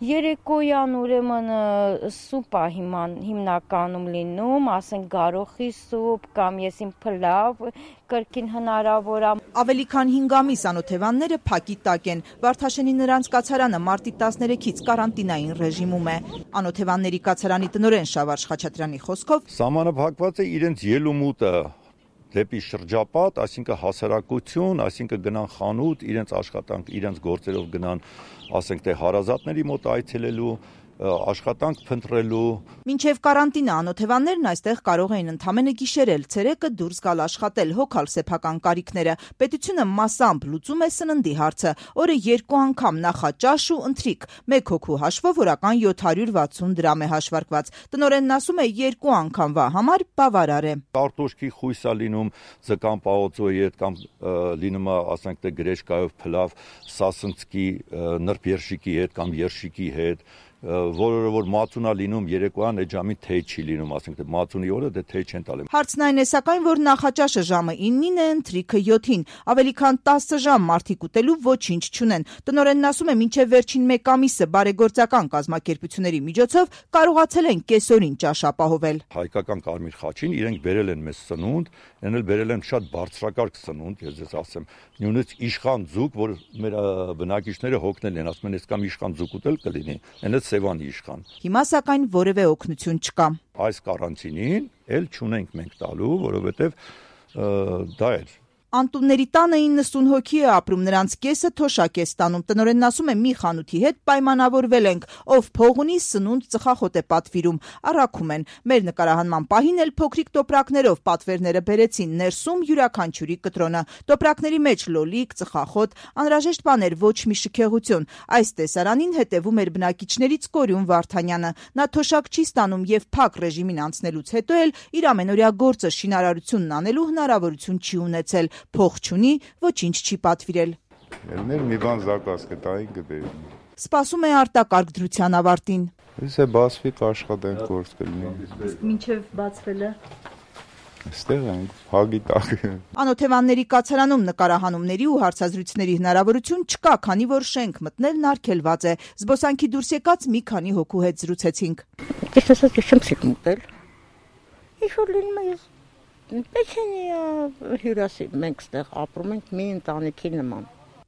Երեկոյան ուրեմն սուպ է հիմնականում լինում, ասենք գարոխի սուպ կամ եսիմ փլավ, կրկին հնարավոր է։ Ավելի քան 5 ամիս անօթևանները փակի տակ են։ Վարդաշենի նրանց կացարանը մարտի 13-ից կարանտինային ռեժիմում է։ Անօթևանների կացարանի տնօրեն Շավարժ Խաչատրյանի խոսքով սահմանափակված է իրենց ելումուտը դեպի շրջապատ, այսինքն հասարակություն, այսինքն գնան խանութ, իրենց աշխատանք, իրենց գործերով գնան, ասենք թե հարազատների մոտ այցելելու, աշխատանք փնտրելու։ Մինչև կարանտինը անօթևաններն այստեղ կարող էին ընդամենը գիշերել, ցերեկը դուրս գալ աշխատել, հոգալ սեփական կարիքները։ Պետությունը մասամբ լուծում է սննդի հարցը, օրը 2 անգամ նախաճաշ ու ընթրիք, 1 հոգու հաշվով օրական 760 դրամ է հաշվարկված։ Տնօրենն ասում է 2 անգամվա համար բավարար է։ Կարտոշկի խույս է լինում ձկան պաոծոյի հետ կամ լինում է, ասենք թե գրեշկայով փլավ, սասնցկի, նրբ երշիկի հետ կամ երշիկի հետ, որը որ մածուն է լինում երեկոյան այդ ժամին թեյ չի լինում, ասենք թե մածունի օրը դե թեյ չեն տալի։ Հարցն այն է սակայն, որ նախաճաշը ժամը 9-ին է, ընթրիքը 7-ին, ավելի քան 10 ժամ մարդիկ ուտելու ոչինչ չունեն։ Տնօրենն ասում է, մինչև վերջին 1 ամիսը բարեգործական կազմակերպությունների միջոցով կարողացել են կեսօրին ճաշ ապահովել։ Հայկական Կարմիր խաչին իրենք բերել են մեզ սնունդ, են բերել են շատ բարձրակարգ սնունդ, ես ձեզ ասեմ, նույնիսկ իշխան ձուկ, որ մեր բնակիչները հոգնել են, ասում են, ես կամ իշխան ձուկ ուտել կլինի, այնը Սևանի իշխան։ Հիմա սակայն որևէ օգնություն չկա։ Այս կարանտինին էլ չունենք մենք տալու, որովհետև դա է։ Անտունների տանը 90 հոգի է ապրում, նրանց կեսը թոշակ է ստանում։ Տնօրենն ասում է, մի խանութի հետ պայմանավորվել ենք, ով փող ունի, սնունդ ծխախոտ է պատվիրում, առաքում են։ Մեր նկարահանման պահին էլ փոքրիկ տոպրակներով պատվերները բերեցին, ներսում յուրաքանչյուրի կտրոնը, տոպրակների մեջ լոլիկ, ծխախոտ, անհրաժեշտ բաներ, ոչ մի շքեղություն։ Այս տեսարանին հետևում էր բնակիչներից Կորյուն Վարդանյանը։ Նա թոշակ չի ստանում եւ փակ ռեժիմին անցնելուց հետո էլ իր ամենօրյա գործը շինարարությունն անելու հնարավորություն չի ունեցել։ Փող չունի, ոչինչ չի պատվիրել։ Մի բան զակաս կտային կբերի։ Սպասում է արտակարգ դրության ավարտին։ Իսկ բացվի կաշխատենք գործ կլինի։ Իսկ մինչև բացվելը Այստեղ ենք, հագի տակ։ Անօթևանների կացարանում նկարահանումների ու հարցազրույցների հնարավորություն չկա, քանի որ շենք մտնելն արգելված է։ Զբոսանքի դուրս եկած մի քանի հոգու հետ զրուցեցինք։ Ես ասած չեմ սիրում ուտել։ Ինչ-որ լինում է Պեչենիա հյուրասի մենք ստեղ ապրում ենք մի ընտանիքի նման։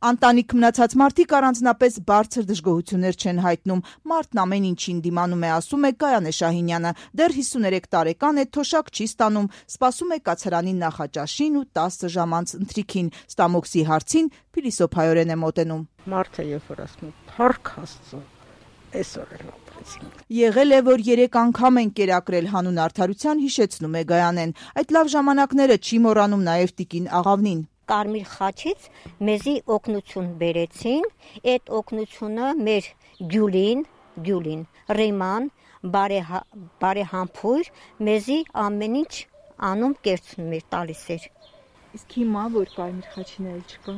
Ընտանիք մնացած մարդիկ առանձնապես բարձր դժգոհություններ չեն հայտնում։ Մարդն ամեն ինչին դիմանում է, ասում է Գայանե Շահինյանը։ Դեռ 53 տարեկան է, թոշակ չի ստանում, սպասում է կացարանի նախաճաշին ու 10 ժամ անց ընթրիքին։ Ստամոքսի հարցին փիլիսոփայորեն է մոտենում։ Մարդը երբ որ ասում է «Փառք Աստծո», այսօր էլ ապրեցինք։ Եղել է, որ 3 անգամ են կերակրել հանուն արդարության, հիշեցնում է Գայանեն։ Այդ լավ ժամանակները չի մոռանում նաև տիկին Աղավնին։ Կարմիր խաչից մեզի օգնություն բերեցին, այդ օգնությունը մեր Գյուլին, Ռեման, բարեհամբույր մեզի ամեն ինչ անում կերցնում էր, տալիս էր։ Իսկ հիմա որ կարմիր խաչին էլ չկա,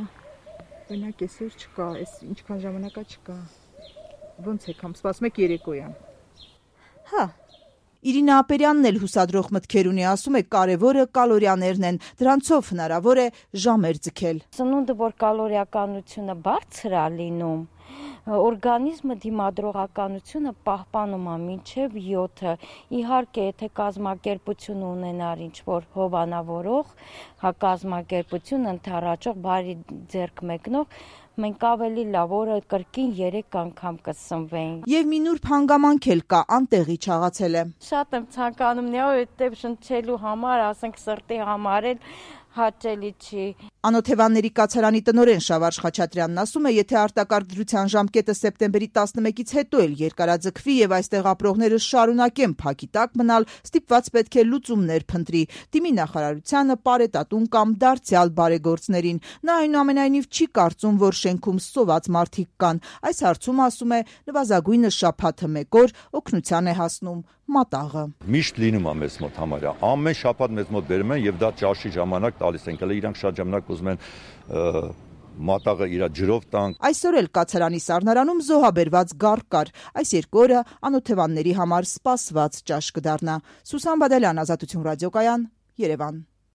օրինակ այսօր չկա, այս ինչքան ժամանակա չկա։ Ոնց եք համ սպասում եք երեկոյան։ Հա։ Իրինա Ապերյանն էլ հուսադրող մտքեր ունի, ասում է կարևորը կալորիաներն են, դրանցով հնարավոր է ժամեր ձգել։ Սնունդը, որ կալորիականությունը բարձր է լինում, օրգանիզմը դիմադրողականությունը պահպանում է մինչև 7-ը։ Իհարկե, եթե կազմակերպություն ունենար ինչ-որ հովանավորող, կազմակերպություն ընդառաջող, բարի ձեռք մեկնող, մենք ավելի լավ օրը կրկին 3 անգամ կսնվեին։ Եվ մի նուրբ հանգամանք էլ կա, անտեղի չաղացել է։ Շատ եմ ցանկանում նեոյետև շնչելու համար, ասենք սրտի համար էլ հաճելի չի։ Անօթևանների կացարանի տնօրեն Շավարժ Խաչատրյանն ասում է, եթե արտակարգ դրության ժամկետը սեպտեմբերի 11-ից հետո էլ երկարաձգվի եւ այստեղ ապրողները շարունակեն փակի տակ մնալ, ստիպված պետք է լուծումներ փնտրի։ Դիմի նախարարությանը, Պարետատուն կամ դարձյալ բարեգործներին։ Նա այնուամենայնիվ չի կարծում, որ շենքում սոված մարդիկ կան։ Այս հարցում, ասում է, նվազագույնը շաբաթը 1 օր օգնության է հասնում մատաղը։ Միշտ լինում է մեզ մոտ համարյա։ Ամեն շաբաթ մեզ մոտ բերում են եւ դա ճաշի ժամանակ տալիս են։ Հələ իրանք շատ ժամանակ ուզում են մատաղը իր ջրով տանք։ Այսօր էլ կացարանի սառնարանում զոհաբերված գառ կար։ Այս 2 օրը անօթևանների համար սպասված ճաշ կդառնա։ Սուսան Բադալյան, Ազատություն ռադիոկայան, Երևան։